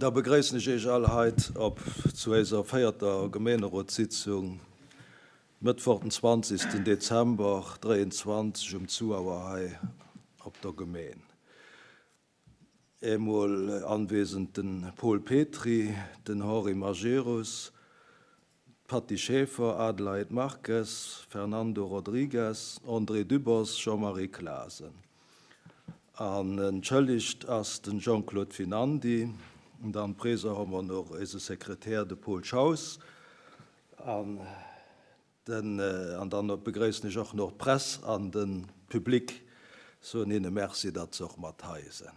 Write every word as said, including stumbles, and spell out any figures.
Da begréissen ech Iech all heit op zu eiser véierter Gemeenerotssitzung, Mëttwoch den zwanzigsten Dezember dräiundzwanzeg um zwei Auer hei op der Gemeen. Eemol anwesend den Paul Petry, den Henri Majerus, Patty Schaefer, Adelheid Marques, Fernando Rodrigues, André Dübbers, Jean-Marie Clasen. An entschëllegt ass den Jean-Claude Finandi. Und dann Präser haben wir noch unseren Sekretär, den Paul Schaus. An den, äh, an dann begrüßen ich auch noch die Presse an den Publik. So ihnen merci, dass sie auch mat hei sind.